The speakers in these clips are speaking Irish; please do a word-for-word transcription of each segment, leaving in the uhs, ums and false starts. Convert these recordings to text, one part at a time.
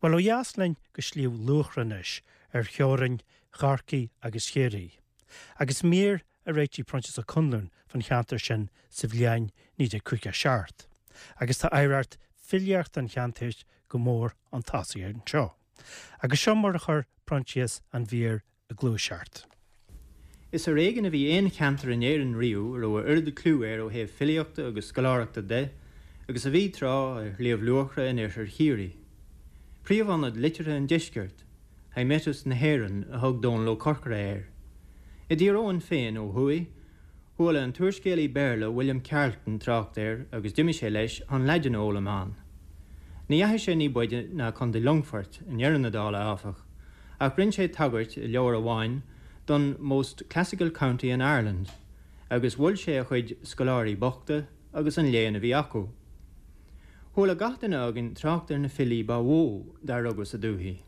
Well ó dheas linn go Sliabh Luachra anois ar theorainn Chorcaí agus Chiarraí. Agus mír a réitigh Proinsias Ó Conluain fan cheantar sin sa bhliain naoi déag caoga seacht. Agus tá oidhreacht filíochta an cheantair go mór chun tosaigh anseo. Agus seo mar a chuir Proinsias an mhír i ngluaiseacht. Is ar éigean a bhí aon cheantar in Éirinn riamh a raibh a oiread clú air ó thaobh filíochta agus scoláireachta de agus a bhí tráth ar Shliabh Luachra in oirthear Chiarraí. Príomhionad liteartha an deiscirt, Hymettus na hÉireann a thug Dónal Ó Corcora air. I dTír Eoghain féin ó thuaidh, chuala an t-úrscéalaí Béarla William Carleton trácht air agus d'imigh sé leis chun Laidin a fhoghlaim ann. Ní dheachaigh sé ní b'fhaide ná Contae Longfoirt i ndeireadh na dála áfach, ach rinne sé tagairt i leabhar amháin don most classical county in Ireland, agus mhol sé a chuid scoláirí bochta agus an léann a bhí acu. Chuala gach duine againn trácht ar na filí ba mhó dar rugadh sa dúthaigh.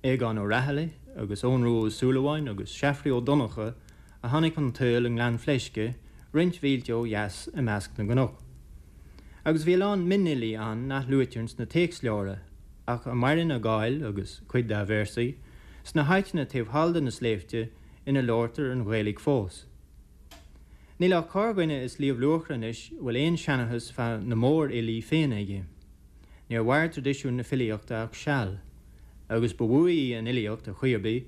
Aogán Ó Raghallaigh agus Eoghan Rua Ó Súilleabháin agus Seafraidh Ó Donnchadha a tháinig chun tsaoil i nGleann Fleisce roinnt mhílte ó dheas i measc na gcnoc. Agus bhí a lán mionfhilí ann nach luaitear sna téacsleabhra, ach a maireann a gcáil agus cuid dá véarsaí sna háiteanna taobh thall de na sléibhte ina labhartar an Ghaeilge fós. Níl ach corrdhuine i Sliabh Luachra anois a bhfuil aon seanchas fá na mórfhilí féin aige. Níor mhair traidisiún na filíochta ach seal, agus ba mhó í an fhilíocht ar chaoi ar bith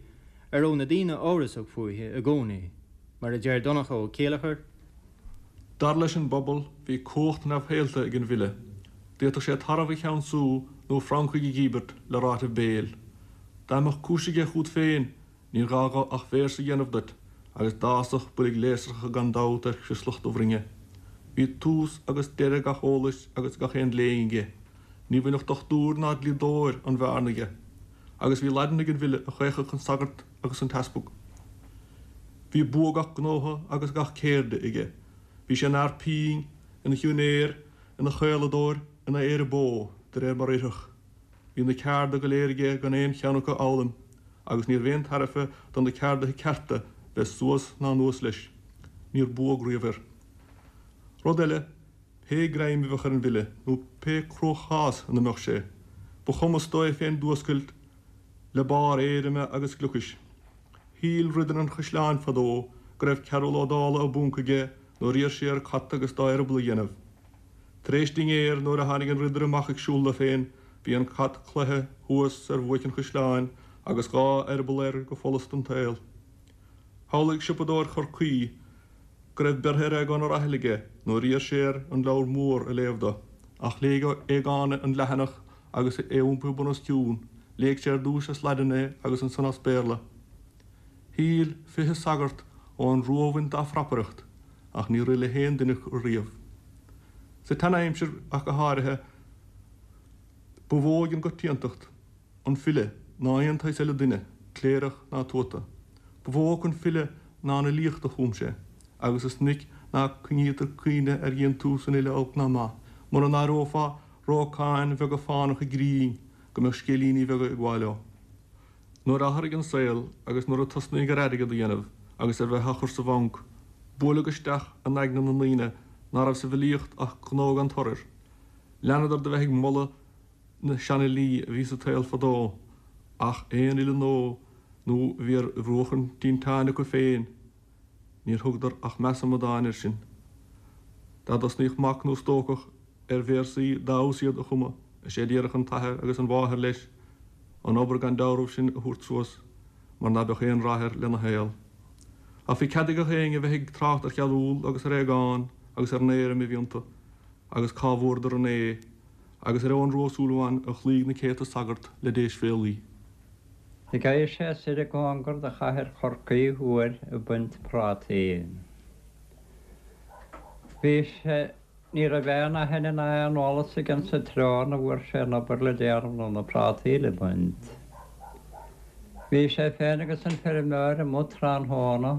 a raibh na daoine amhrasach fúithi i gcónaí, mar a deir Donncha Ó Céileachair. Dar leis an bpobal, bhí cumhacht neamhshaolta ag an bhfile. D'fhéadfadh sé tarbh a cheansú nó francaigh a dhíbirt le ráiteamh béil. Dá mbeadh cúis aige chugat féin, Níor ghá dho ach véarsa a dhéanamh duit, agus d'fhásfadh boilg léasracha gan dabht ar chrioslach do bhroinne. Bhí tús agus deireadh gach eolais agus gach aon léinn aige. Ní bhainfeadh dochtúir ná dlíodóir an bhearna dhe. Agus bhí Laidin ag an bhfile a chaochfadh an sagart agus an t-easpag. Bhí bua gach gnótha agus gach ceirde aige. Bhí sé ina fhear pinn, ina shiúinéir, ina chaoladóir, ina aoire bó, de réir mar oirfeadh. Bhí na cearda go léir aige gan aon cheann acu a fhoghlaim, agus níorbh aon tairbhe do na ceardaithe cearta bheith suas ná anuas leis. Níor buadh riamh air. Rud eile, pé greim a bheadh ar an bhfile, nó pé cruachás ina mbeadh sé, ba chumas dó é féin d'fhuascailt le barr éirime agus gliocais. Shíl ridire an chaisleáin fadó go raibh Cearbhall Ó Dálaigh i bponc aige nuair a d'iarr sé air cat agus dá eireaball a dhéanamh. Tar éis dinnéir, nuair a tháinig an ridire amach ag siúl dó féin, bhí an cat cloíte thuas ar bhuaic an chaisleáin agus dhá eireaball air go follas don tsaol. Shamhlaigh siopadóir Chorcaí go raibh beirthe ar Aogán Ó Raghallaigh aige nuair a d'iarr sé air an leabhar mór a léamh dó. Ach léigh Aogán an leathanach agus é iompaithe bun os cionn. Léigh sé ar dtús as Laidin é agus ansan as Béarla. Shíl fiche sagart ón Rómhain dá phrapaireacht, ach níor rith le haon duine acu riamh. Sa tseanaimsir ach go háirithe, ba mhó ag an gcoitiantacht an file ná aon tsaghas eile duine, cléireach ná tuata. Ba mhó acu an file ná an fhilíocht a chum sé, agus is minic ná coinnítear cuimhne ar dhéantús an fhile olc ná maith, mura n-áireofá rócáin bheaga fánacha grinn go mbeadh scéilíní beaga ag gabháil leo. Nuair a athraigh an saol agus nuair a tosnaíodh ar airgead a dhéanamh agus ar bheith á chur sa bhanc, buaileadh isteach in aigne na ndaoine ná raibh sa bhfilíocht ach gnó gan toradh. Leanadar de bheith ag moladh na seanfhilí a bhí sa tsaol fadó, ach aon fhile nua nó a bhí ar bhruach an tinteáin acu féin, níor thugadar ach meas amadáin air sin. Dá dtosnaíodh mac nó stócach ar véarsaí dá fheabhas iad a chumadh, is é a déarfadh an t-athair agus an mháthair leis, an obair gan dealramh sin a thabhairt suas, mar ná beadh aon rath air lena shaol. Ach bhí cead ag gach éinne a bheith ag trácht ar Chearbhall agus ar Aogán agus ar an éirim a bhí iontu, agus cá bhfuaireadar an A, agus ar Eoghan Rua Ó Súilleabháin a chloígh na céadta sagart le deisbhéalaí. Gheibh sé soir i gcóngar do chathair Chorcaí uair ag baint prátaí. Bhí sé, ní raibh aon aithne ná aon eolas aige sa treo ina bhfuair sé an obair le déanamh nó na prátaí le baint. Bhí sé féin agus an feirmeoir amuigh tráthnóna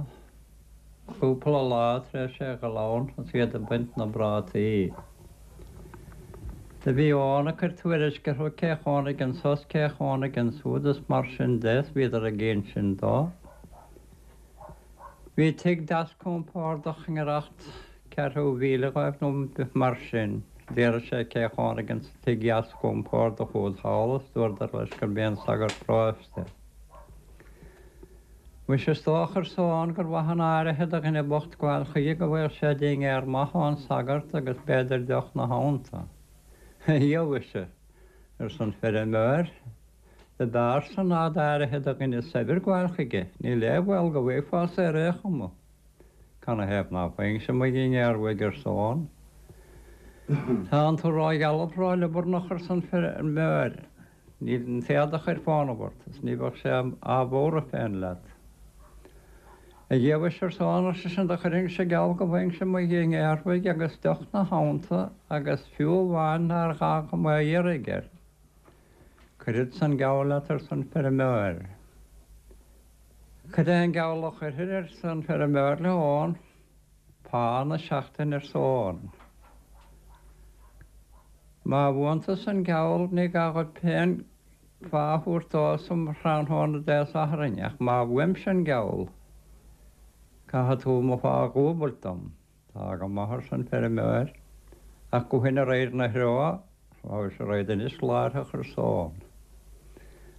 cúpla lá tar éis é a dhul ann agus iad ag baint na bprátaí. Do bhí Eoghan ag cur tuairisc orthu cé chónaigh anso 's cé chónaigh ansúd is mar sin de 's bhíodar ag insint dó. Bhí tigh deas compordach i ngiorracht ceathrú mhíle dhóibh nó mar sin. D'fhiafraigh sé cé chónaigh insa tigh dheasc ón phortach úd thall is dúradar leis gurb é an sagart paróiste. Mhuise is dócha arsa Eoghan gur mhaith an áirithe do dhuine bocht gabháil chuige go bhfaigheadh sé dinnéar maith ón sagart agus b'fhéidir deoch 'na theannta. A Dhia mhuise, arsa an feirmeoir, do b'fhearr san ná d'áirithe do dhuine saibhir gabháil chuige, níl aon bhaol go bhfaighfeása ar aon chuma. Canathaobh ná faighinnse mo dhinnéar uaidh, arsa Eoghan. Tánn tú ró-ghealbh ró-liobarnach, arsa an feirmeoir, níl an t-éadach ar fónamh ort is ní bheadh sé á bhuadhradh féin leat. A Dhia mhuise, arsa Eoghan, ar seisean, do chuirfinnse geall go bhfaighinnse mo dhinnéar uaidh agus deoch 'na theannta agus fiú amháin nár ghá dhom é a iarraidh air. Cuirfeadsa an geall leat, arsa an feirmeoir. Cad é an geall a chuirfir, arsa an feirmeoir le hEoghan. Pá na seachtaine, arsa Eoghan. Má bhuann tusa an geall ní gá dhuit féin pá a thabhairt domhsa um thráthnóna Dé Sathairn, ach má bhuaimse an geall, caithfidh tú mo phá a dhúbailt dom. Tá go maith, arsa an feirmeoir, ach gabhfainn a réir na threo, mhuise raghaid anois láithreach, arsa Eoghan.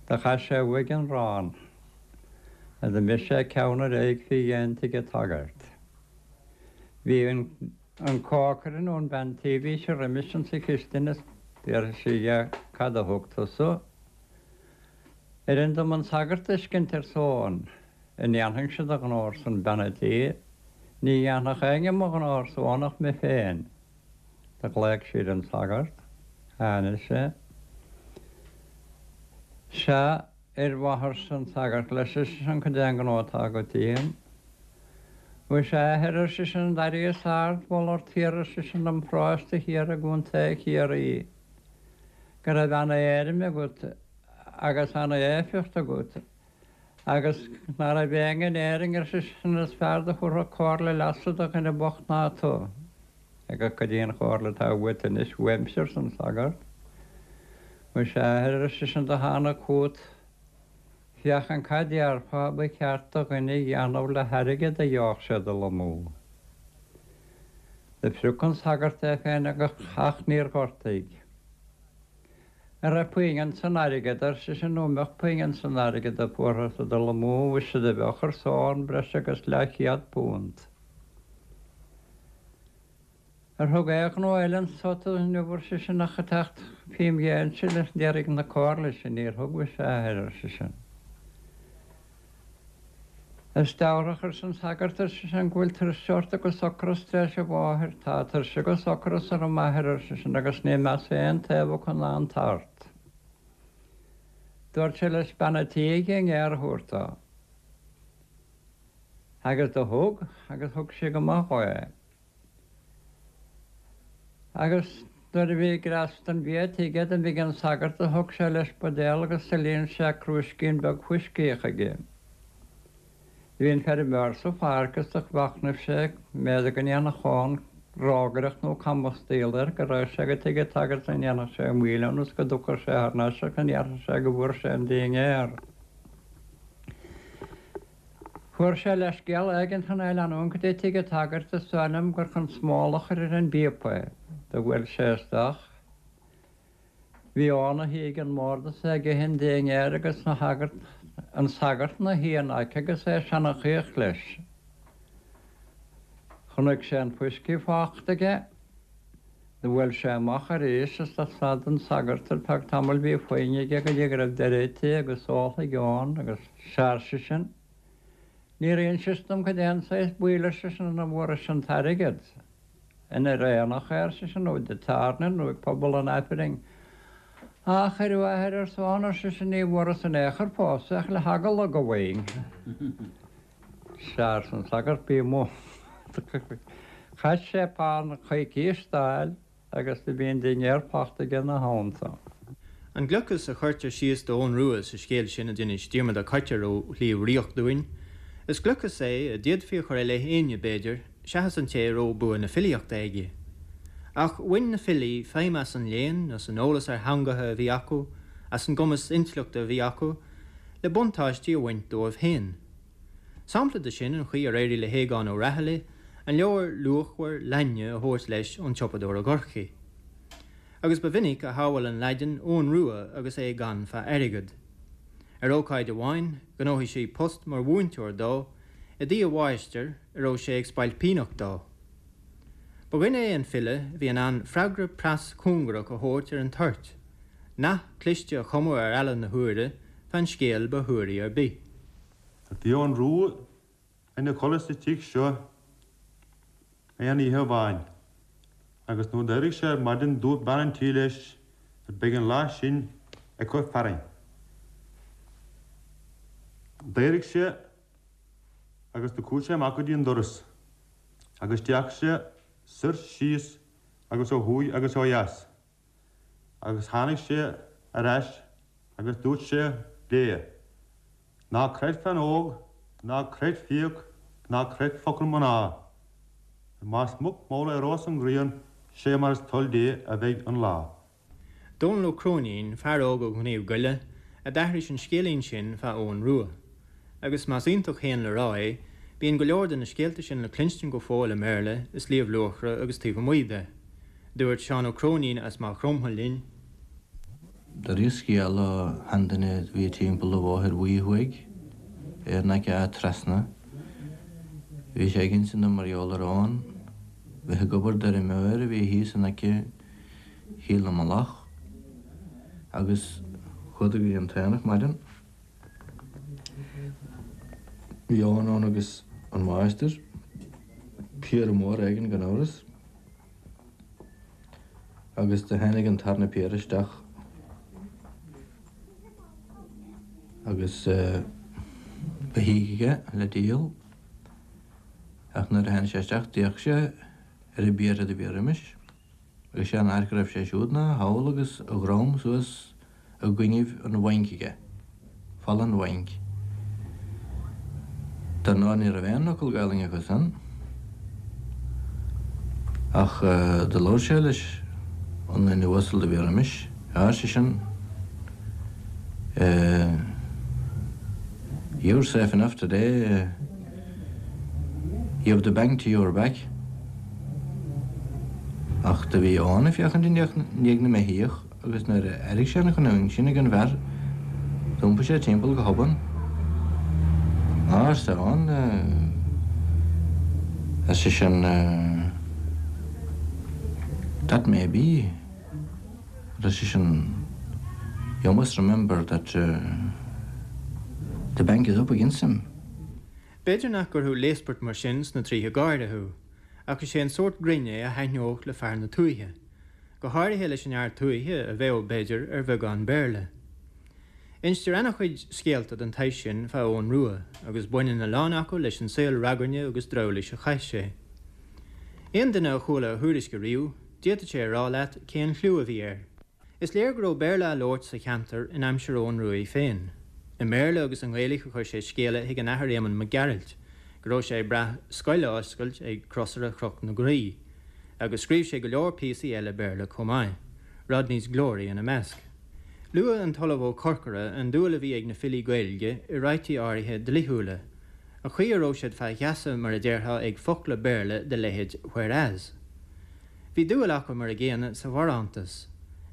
Do chaith sé uaidh an rán, agus d'imigh sé ceann ar aghaidh fé dhéin tigh an tsagairt. Bhí an. An cócaire nó an bhean tí bhí sí roimis insa chistin is d'fhiafraigh sí dhe cad a thug tusa. Oireann dom an sagart a fheiscint arsa Eoghan. An ndéanfainnse do ghnó arsan bean a' tí. Ní dhéanfadh éinne mo ghnó arsa Eoghan ach mé féin. Do ghlaoch sí ar an sagart. Tháinig sé. Sea, fhir mhaith arsa an sagart leis ar seisean cad é an gnó atá agat díom. Mhuise a athair, ar seisean, d'airíos ard-mholadh ort thiar, ar seisean, i bparóiste thiar i gContae Chiarraí, go raibh ana-éirim agat agus ana-éifeacht agat, agus ná raibh éinne in Éirinn, ar seisean, is fearr do thabharfadh comhairle leasa do dhuine bocht ná tu. Agus cad í an chomhairle atá uait anois uaimse, arsa an sagart. Mhuise a athair, ar seisean, do thánag chugat Féachaint cad déarfá ba cheart do dhuine a dhéanamh le hairgead a gheobhadh sé dul amú. Do phrioc an sagart é féin ach níor ghortaigh. An raibh puinn san airgead, ar seisean, nó an mbeadh puinn san airgead a fuarthas ag dul amú, mhuise do bheadh, arsa Eoghan, breis agus leathchéad punt. Ar thug aon ghnó eile anso tú inniu, ar seisean, ach a theacht fém dhéinse d'iarraidh na comhairle sin? Níor thug, mhuise, a athair, ar seisean. Is dealrach, arsa an sagart, ar seisean, go bhfuil tuirse ort agus ocras tar éis a mháthair. Tá tuirse agus ocras orm, a athair, ar seisean, agus níl mé as aon taobh acu ná an tart. Dúirt sé leis bean a' tí a dhinnéar a thabhairt dó. Agus do thug, agus thug sí go maith dhó é. Agus nuair a bhí greas den bhia aige d'imigh an sagart do thug sé leis buidéal agus do líon sé crúiscín beag fuiscí chuige. Bhí an feirmeoir sa pháirc is do mhachnaimh sé mb'fhéidir go ndéanfadh Eoghan rógaireacht nó camastaíl air, go raghadh sé go tigh an tsagairt go ndéanfadh sé moill ann is go dtiocfadh sé thar n-ais agus go ndéarfadh sé go bhfuair sé an dinnéar. Fuair sé leithscéal éigin chun é a leanúint go dtí tigh an tsagairt, is dóigh liom gur chun smól a chur ar an bpíopa é. Do bhuail sé isteach. Bhí Eoghan 'na shuí ag an mbord is é ag ithe an dinnéir agus an sagart 'na shuí ina aice agus é ag seanchaíocht leis. Chonaic sé an fuiscí fachta aige. Do bhuail sé amach arís is do stad an sagart ar feadh tamaill bhí foighne aige go dtí go raibh deireadh ite agus óltha ag Eoghan agus sea ar seisean, Níor insis dom cad é an saghas baoil, ar seisean, ina bhfuarais an t-airgead. Inar aonach é, ar seisean, nó i dtig tábhairne, nó ag puball an Aifrinn. Ach, a fhir mhaith, arsa Eoghan, ar seisean, ní bhfuaras in aon chor fós é ach le heagla go bhfaighinn. Sea, arsa an sagart, bí amuigh. Chaith sé pá na coicíse d'fháil agus do bhí an dinnéar fachta aige ina theannta. An gliocas a chuirtear síos d'Eoghan Rua sa scéal sin a d'inis Diarmaid Ó Coitir ó Shliabh Riach dúinn, is gliocas é a d'fhéadfaí a chur i leith éinne, b'fhéidir, seachas an té a raibh bua na filíochta aige. Ach bhain na filí feidhm as an léann, as an eolas ar theangacha a bhí acu, as an gcumas intleachta a bhí acu, le buntáistí a bhaint dóibh féin. Sampla de sin an chaoi ar éirigh le hAogán Ó Raghallaigh an leabhar luachmhar Laidne a thabhairt leis ón tsiopadóir i gCorcaigh. Agus ba mhinic a shamhail an Laidin Eoghan Rua agus é gann fá airgead. Ar ócáid amháin, ghnóthaigh sé post mar mhúinteoir dó i dtigh a mháistir a raibh sé ag spailpíneacht dó. Ba dhuine é an file a bhí in ann freagra pras cúngarach a thabhairt ar an toirt, nath cliste a chumadh ar eala na huaire fan scéal ba shuaraí ar bith. Bhí Eoghan Rua ina chodladh sa tigh seo aon oíche amháin, agus nuair a d'éirigh sé ar maidin dúirt bean an tí leis beidh an lá sin ag cur fearthainn. D'éirigh sé agus do chuaigh sé amach go dtí an doras, agus d'fhéach sé soir síos agus ó thuaidh agus ó dheas, agus tháinig sé ar ais agus dúirt sé léi, Ná creid bean óg, ná creid fiach, ná creid focal mná. Más muc mall a éireos an ghrian, sé mar is toil Dé a bheidh an lá. Dónal Ó Cróinín, fear óg ó Shliabh Goile, a d'aithris an scéilín sin fá Eoghan Rua. Agus más iontach féin le rá é, bíonn go leor de na scéalta sin le cluinstin go fóill i mBéarla i Sliabh Luachra agus taobh amuigh de. Dúirt Seán Ó Cróinín as Maigh Chromtha linn. D'aithris scéal ó sheanduine a bhí timpeall an Bhóthair Bhuí thuaidh ar in aice Áth Trasna. Bhí sé ag insint dom mar gheall ar Eoghan bheith ag obair d'fheirmeoir a bhí thíos in aice Chill na Malach agus chuadar go dtí an t-aonach maidin. Bhí Eoghan ann agus an máistir, piarra mór éigin gan amhras, agus do tháinig an tarna piarra isteach agus beithígh aige le díol ach nuair a tháinig sé isteach d'fhéach sé ar an bpiarra do bhí roimis agus sé an áit go raibh sé siúd ná thall agus a dhrom suas i gcoinnibh an bhainc aige, falla an bhainc. Dar ndóigh ní raibh aon fhocal Gaelainne acu san ach do labhair sé leis an duine uasal do bhí roimis, Ar seisean, You're safe enough today, you've the bank to your back. Ach do bhí Eoghan ag féachaint i ndiaidh na mbeithíoch agus nuair a airigh sé an chanúint sin ag an bhfear d'iompaigh sé timpeall go hobann. Á, arsa Eoghan, ar seisean, that may be, ar seisean, you must remember that the bank is up against him. B'fhéidir nach gcuirfeadh léaspairt mar sin sna tríotha gáire thú, ach is é an sórt grinn é a thaitneodh le fear na tuaithe, go háirithe leis an fhear tuaithe a bheadh, b'fhéidir, ar bheagán Béarla. Instear an-chuid scéalta den tsaghas sin fá Eoghan Rua, agus baineann a lán acu leis an saol ragairne agus drabhláis a chaith sé. Aon duine a chuala a thuairisc ariamh, d'fhéadfadh sé a rá leat cén chliú a bhí air. Is léir go raibh Béarla á labhairt sa cheantar in aimsir Eoghan Ruaidh féin. I mBéarla agus i nGaeilge a chuir sé scéala chuig an Athair Éamonn Mac Gearailt go raibh sé ag brath scoil a oscailt ag Crosaire Chnoc na Graí, agus scríobh sé go leor píosaí eile Béarla chomh maith, Rodney's Glory ina measc. Luaigh an tOllamh Ó Corcora an dúil a bhí ag na filí Gaeilge i ráití áirithe dlíthiúla, an chaoi a raibh siad fá gheasa mar a déarfá ag focla Béarla de leithéid 'whereas'. Bhí dúil acu mar a gcéanna sa bharántas,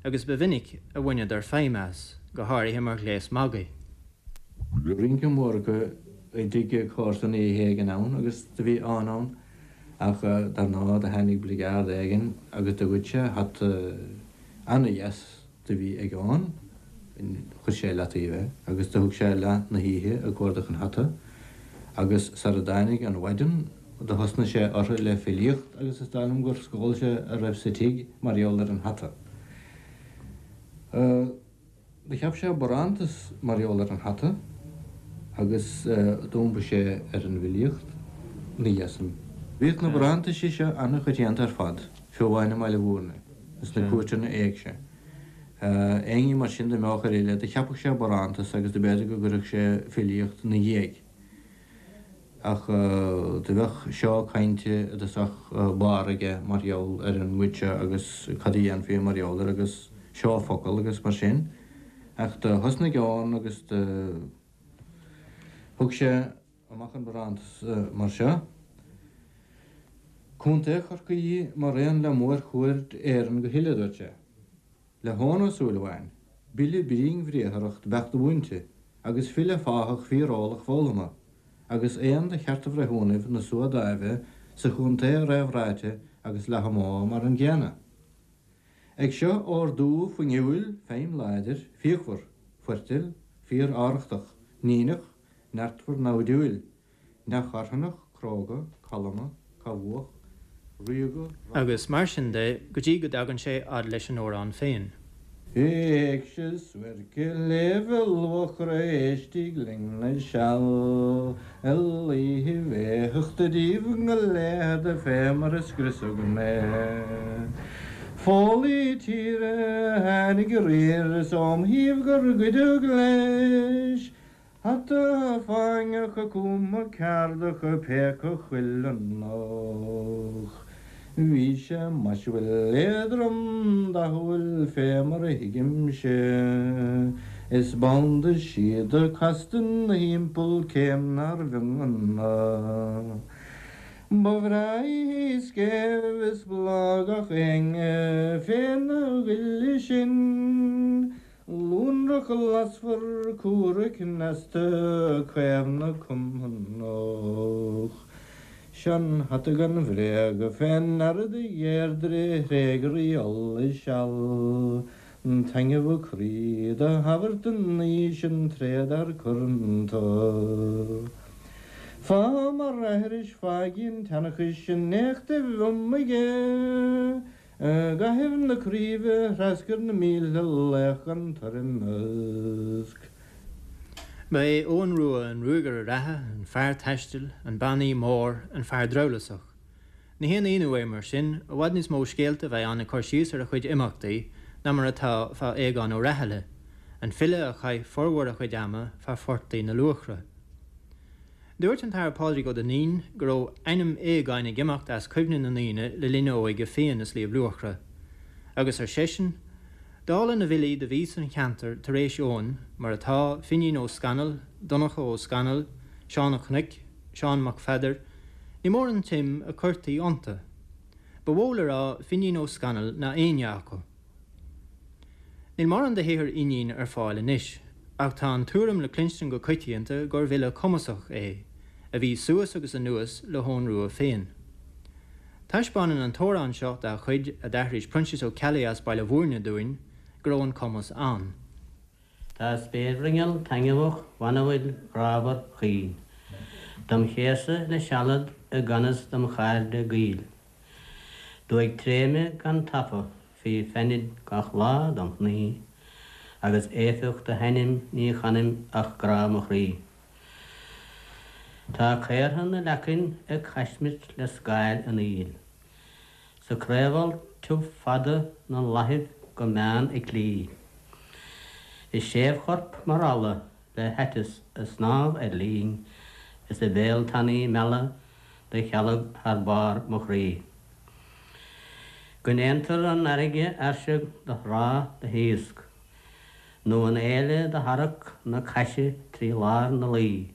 agus ba mhinic a bhaineadar feidhm as, go háirithe mar ghléas magaidh. Bhí rince mór acu i dtigh comharsan oíche éigin ann agus do bhí Eoghan ann ach dar ndóigh do tháinig bligeard éigin agus do ghoid sé hata ana-dheas do bhí ag Eoghan, chuir sé i leataobh é agus do thug sé leath na hoíche ag cuardach an hata agus sara dtáinig an mhaidin do thosnaigh sé orthu le filíocht agus is dóigh liom gur scól sé a raibh sa tigh mar gheall ar an hata. Do cheap sé barántas mar gheall ar an hata agus d'iompaigh sé ar an bhfilíocht ina dhiaidh san. Bhíodh na barántaisí seo an-choitianta ar fad, fiú amháin i mBaile Mhúirne, sna cúirteanna éigse. Éinne mar sin dá mbeadh ar fhile, do cheapadh sé barántas agus do b'fhéidir go gcuirfeadh sé filíocht ina dhiaidh. Ach do bheadh seó cainte i dtosach báire aige mar gheall ar an gcuid seo agus cad a dhéanfaí mar gheall air agus seó focal agus mar sin. Ach do thosnaigh Eoghan agus do thug sé amach an barántas mar seo, Contae Chorcaí mar aon le mórchuaird Éireann go huile, a dúirt sé. Le hEoin Ó Súilleabháin, b'fhile bríonnbhriatharach do b'eadh do mhúinte, agus file fáthach fíoreolach foghlamtha, agus aon de chearta bhreithiúnaibh na Sua Dáimhe sa chontae réamhráite agus Leath-Mhódha mar an gcéanna. Ag seo ordú fuinniúil, feidhm láidir, fíochmhar, foirtil, fíor-arrachtach, níneach, neartmhar naimhdiúil, neamhcharthanach, cróga, calma, cabhuach, ríoga, Agus mar sin de go dtí go dtagann sé fhad leis an amhrán féin. Éigse suairce Shléibhe Luachra éistigh linn le seal, a laoithe bhéitheachta díbh go léithe fé mar a scriosadh mé. Foghlaí tíre a tháinig aréir is óm thaobh gur goideadh leis, Hata fáinneach cuma ceardacha péacadh cuileannach. Bhí sé maisiúil éadrom dathúil fé mar a thuigimse, Is banda síoda casta 'na thimpeall céim nár bh'iongna. Ba bhreá í scéimh is bláth gach éinne féna ghile sin, Lonrach lasmhar cumhra cneasta caomhna cumannach. Sean hata gan bhréag fé ndeara do Dheirdre thréig rí Uladh seal, Taitneamh croí do thabhairt don naoi sin tréad ár curanta. Fá mar aithris fáigín tseanchais in éachtaibh iomaige, I gcaitheamh na craoibhe threascair na mílte laoch gan toirmeasc. Ba é Eoghan Rua an ruagaire reatha, an fear taistil, an bannaí mór, an fear drabhlásach. Ní haon ionadh é mar sin, i bhfad níos mó scéalta a bheith ann ag cur síos ar a chuid imeachtaí ná mar atá fá Aogán Ó Rathaille, an file a chaith formhór a chuid ama fá phortaigh na Luachra. Dúirt an tAthair Pádraig Ó Duinnín go raibh ainm Aogáin ag imeacht as cuimhne na ndaoine le linn a óige féin i Sliabh Luachra. Agus ar seisean, dála na bhfilí do bhí san cheantar tar éis Eoin, mar atá Finín Ó Scanaill, Donncha Ó Scanaill, Seán Ó Cnoic, Seán Mac Pheadair, ní mór an tsuim a cuirtí iontu. Ba mhó le rá Finín Ó Scanaill ná éinne acu. Níl mórán de shaothar Fhínín ar fáil anois, ach tá an tuairim le cluinstin go coitianta gur bhfile cumasach é, a bhí suas agus anuas le hEoghan Rua féin. Taispeánann an t-amhrán seo dá chuid a d'aithris Proinsias Ó Ceallaigh as Baile Bhúirne dúinn go raibh an cumas ann. Tá spéirbhruinneall taitneamhach bhanúil ghrámhar chaoin, Dom chéasadh le sealad i gan fhios dom chairde gaoil. Dóigh tréime gan tapadh fé feinid gach lá dom chnaí, agus éifeacht a hainm ní chanaim ach grá mo chroí. Tá caortha na leacain ag caismirt le scáil an aoil. Sa craobhal tiubh fada na láthaibh go meán ag clí. Is séimhchorp mar eala le haiteas a snámh ar linn, is a bhéal tanaí meala do chealg thar barr mo chroí. Go ndéantar an fharraige fhairseag do thrá do thaosc, nó an fhéile do tharrac na caise trí lár na laoi.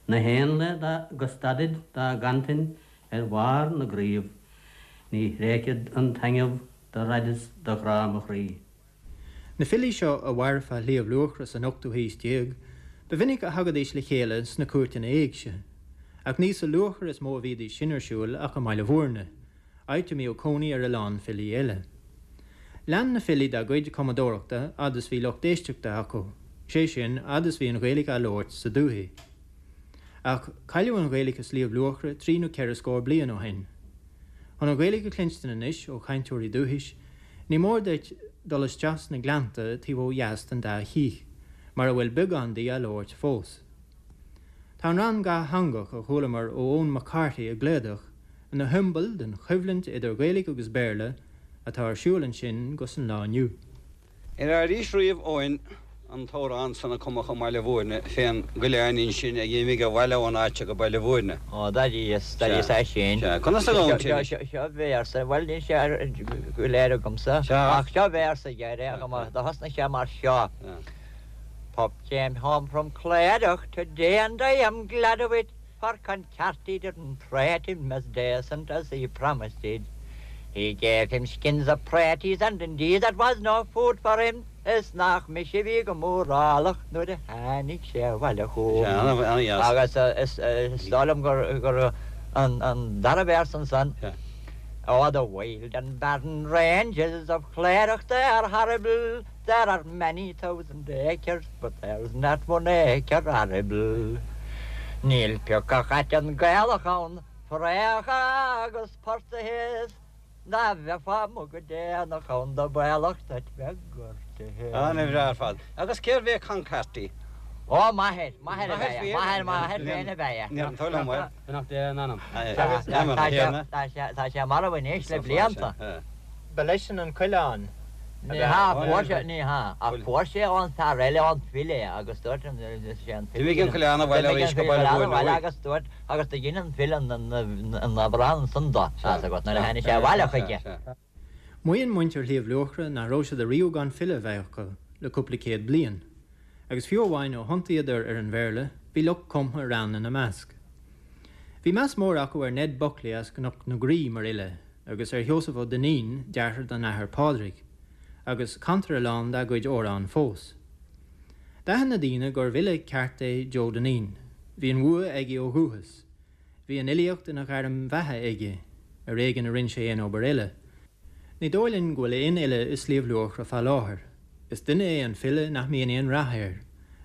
Na héanlaith go stadaid dá gcantain ar bharr na gcraobh, ní thréigfead an taitneamh do raideas do ghrá mo chroí. Na filí seo a mhair fá Shliabh Luachra san ochtú haois déag, ba mhinic a thagaidís le chéile sna cúirteanna éigse, ach ní sa Luachra is mó a bhídís sin ar siúl ach i mBaile Bhúirne, áit a mbíodh cónaí ar a lán filí eile. Lean na filí dá gcuid cumadóireachta fhad is bhí lucht éisteachta acu, sé sin fhad is bhí an Ghaeilge á labhairt sa dúthaigh. Ach cailleadh an Ghaeilge i Sliabh Luachra trí nó ceithre scór bliain ó shin. Chun an Ghaeilge a chluinstin anois ó chainteoirí dúchais, ní mór duit dul isteach sna gleannta taobh ó dheas den dá chích, mar a bhfuil beagán di á labhairt fós. Tá an rann dhátheangach a chualamar ó Eoin McCarthy i gClódach ina shiombail den choimhlint idir Ghaeilge agus Béarla atá ar siúl ansin go san lá inniu. Ar airís riamh Eoin an t-amhrán san a cumadh i mBaile Bhúirne fén gcoileáinín sin ag imigh abhaile ón áit go Baile Bhúirne. Ó d'airís d'airís é sin. Conas a ghabhann Seo seo véarsa, bhuel níl sé go léir agamsa ach seo véarsa gearr do thosnaigh sé mar seo. Pup came home from Clydach today and I am glad of it, for Concarty didn't treat him as decent as he promised did. He gave him skins of praties and indeed that was no food for him. Is nach mise a bhí go mórálach nuair a tháinig sé abhaile chugam. Agus is dóigh liom gur gur an an dara véarsa ansan. Oh, the wild and barren ranges of Cleric they are horrible. There are many thousand acres, but there's not one acre arable. Níl pioc aiteann Gaelach ann, fraoch agus portaigh is dá mbeifeá amuigh go déanach ann ba bhaolach duit bheith gortaithe. An-bhreá ar fad. Agus cérbh é Con Carty? Ó, m'athair, m'athair ab ea é, m'athair, m'athair féin ab ea é. Níor an toil liom é. Beannacht Dé lena anam. Tá sé marbh anois le blianta. Ba leisean an coileán. Ní hea, fuair sé, ní hea, ach fuair sé ón fear eile, ón file é, agus dúirt an, is é an file. D'imigh an coileán abhaile arís go Baile Bhuirne uaidh. Agus dúirt, agus do dhein an file an amhrán san dó, tá's agat, nuair a tháinig sé abhaile chuige. Maíonn muintir Shliabh Luachra nach raibh siad ariamh gan file a bheith acu le cúpla céad bliain, agus fiú amháin ó thiontaíodar ar an Bhéarla, bhí lucht cumtha rann ina measc. Bhí meas mór acu ar Ned Buckley as Cnoc na Graí mar fhile, agus ar Sheosamh Ó Duinnín, deartháir don Athair Pádraig, agus cantar a lán dá gcuid amhrán fós. D'aithin na daoine gurbh fhile ceart é Joe Dineen. Bhí an bhua aige ó dhúchas. Bhí an fhilíocht ina ghairm bheatha aige, ar éigean a rinne sé aon obair eile. Ní dóigh linn go bhfuil aon fhile i Sliabh Luachra fá láthair. Is duine é an file nach mbíonn aon rath air,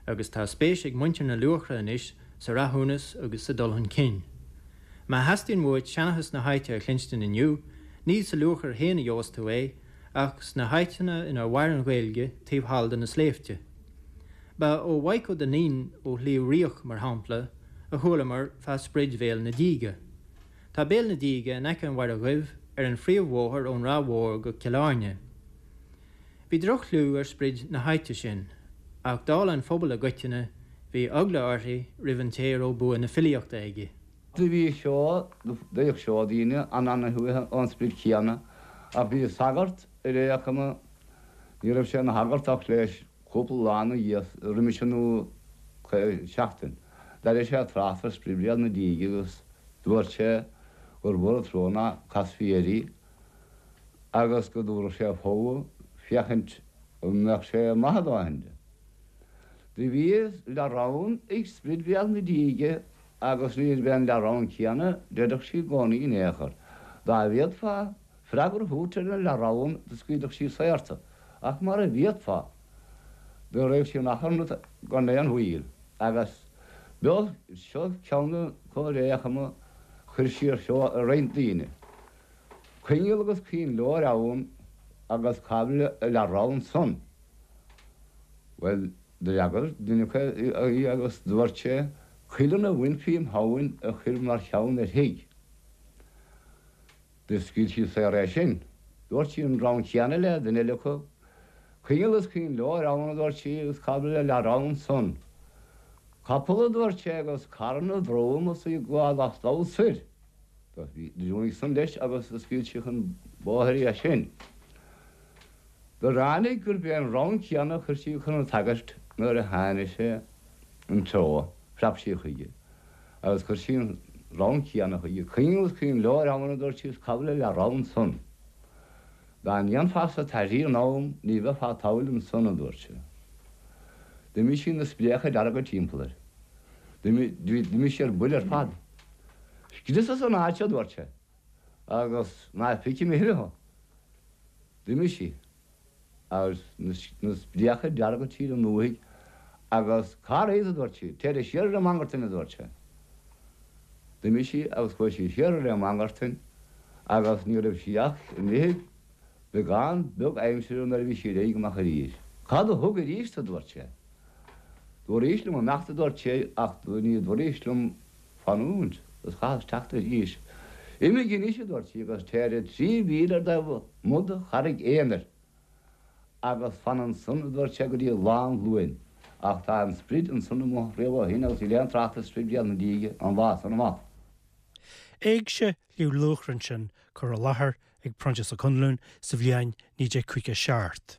agus tá spéis ag muintir na Luachra anois sa rathúnas agus sa dul chun cinn. Má theastaíonn uait seanchas na háite a chluinstin inniu, ní sa Luachair féin a gheobhas tú é, ach sna háiteanna inar mhair an Ghaeilge taobh thall de na sléibhte. Ba ó Mhaidhc Ó Duinnín ó Shliabh Riach, mar shampla, a chualamar fá sprid Bhéal na Díge. Tá Béal na Díge in aice an Mhachaire Dhuibh ar an phríomhbhóthar ón Ráth Mhór go Cill Airne. Bhí droch-chlú ar sprid na háite sin, ach dála an phobail i gcoitinne, bhí eagla uirthi roimh an té a raibh bua na filíochta aige. Do bhí seó, d'fhéach seó daoine an-ana-shuaithe ón sprid chéanna, ach bhí sagart ar é acu, ní raibh sé ina shagart ach leis cúpla lá ina dhiaidh, roimis sin nó seachtain. D'airigh sé trácht ar sprid Bhéal na Díge agus dúirt sé gur mhór an trua ná casfaí air í agus go dtabharfadh sé fogha féachaint an mbeadh sé maith a dóthain di. Do bhí leath-roinn ag sprid Bhéal na Díge agus níorbh é an leath-roinn céanna d'oirfeadh sí i gcónaí in aon chor. Dá bhféadfá freagra a thabhairt ar an leath-roinn do scaoilfeadh sí saor tu, ach mara bhféadfá, do raghadh sí in achrann ort gan aon mhoill. Agus b'eo seo ceann de na comhréachama chuir sí ar seo ar roinnt daoine. Coinneal agus coinnleoir ann agus cá bhfuil a leath-roinn san? Bhuel, d'fhreagair duine acu í agus dúirt sé, Cuileann a bhainfí im thamhain a chuir mar cheann ar thigh. Do scaoil sí saor é sin. Dúirt sí an rann céanna le duine eile acu. Coinneal is coinnleoir ann, a dúirt sí, agus cá bhfuil a leath-roinn san? Capall, a dúirt sé, agus carn a dhrom is í ag gabháil as dul soir. Do bhí san leis agus do scaoil sí chun bóthair í as sin. Do ráinig gurb é an rann céanna a chuir sí chun an tsagairt nuair a tháinig sé an treo, phreab sí chuige agus chuir sí an rann céanna chuige, Coinneal is coinnleoir ann, a dúirt sí, is cá bhfuil a leath-roinn san? Dá ndéanfása taithí in am ní bheifeá tadhall ansan, a dúirt sé. D'imigh sí na spréacha dearga timpeall air. D'imigh sí ar buile ar fad. Scrios as an áit, a dúirt sé, agus ná feicfidh mé a thuilleadh thú. D'imigh sí, agus na spréacha dearga tríd an ndúthaigh, agus cá raibh, a dúirt sí. Téire siar ar an Mangartain, a dúirt sé. D'imigh sí agus chuaigh sí siar ar an Mangartain agus ní raibh sí ach imithe beagán beag aimsire nuair a bhí sí réidh amach arís. Cad a thug arís, a dúirt sé. Dúraís liom imeacht, a dúirt sé, ach ní dúraís liom fanúint, agus chaitheas teacht arís. Imigh anois, a dúirt sí, agus téire trí mhíle ar do mhodh-charraig aonair, agus fan ansan, a dúirt sé, go dtí lá an Luain. Ach tá an sprid ansan amuigh riamh ó shin agus níl aon trácht ar sprid Bhéal na Díge ón lá san amach. Éigse Shliabh Luachra ansin curtha i láthair ag Proinsias Ó Conluain sa bhliain naoi déag caoga seacht.